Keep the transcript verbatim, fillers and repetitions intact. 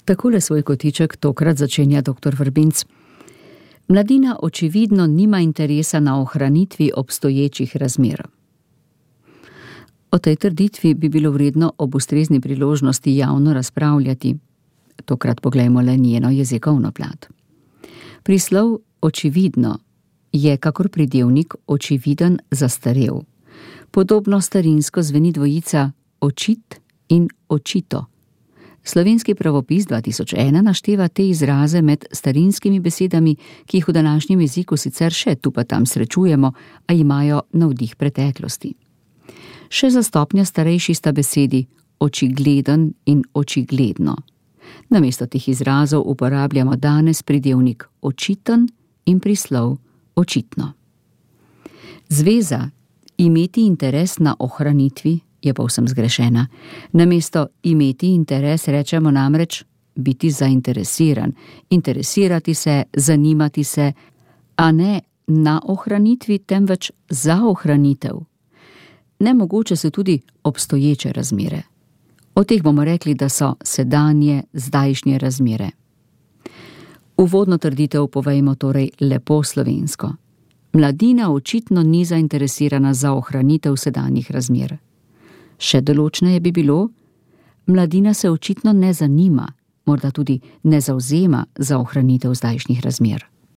Takole svoj kotiček tokrat začenja doktor Vrbinc. Mladina očividno nima interesa na ohranitvi obstoječih razmer. O tej trditvi bi bilo vredno ob ustrezni priložnosti javno razpravljati. Tokrat poglejmo le njeno jezikovno plat. Prislov očividno je, kakor pridevnik očividen, zastarel. Podobno starinsko zveni dvojica očit in očito. Slovenski pravopis dva tisoč ena našteva te izraze med starinskimi besedami, ki jih v današnjem jeziku sicer še tu pa tam srečujemo, a imajo navdih preteklosti. Še za stopnjo starejši sta besedi očigleden in očigledno. Namesto teh izrazov uporabljamo danes pridevnik očiten in prislov očitno. Zveza imeti interes na ohranitvi je povsem zgrešena. Namesto imeti interes rečemo namreč biti zainteresiran, interesirati se, zanimati se, a ne na ohranitvi, temveč za ohranitev. Nemogoče so tudi obstoječe razmere. O teh bomo rekli, da so sedanje, zdajšnje razmere. Uvodno trditev povejmo torej lepo slovensko. Mladina očitno ni zainteresirana za ohranitev sedanjih razmer. Še določneje bi bilo, mladina se očitno ne zanima, morda tudi ne zavzema za ohranitev zdajšnjih razmer.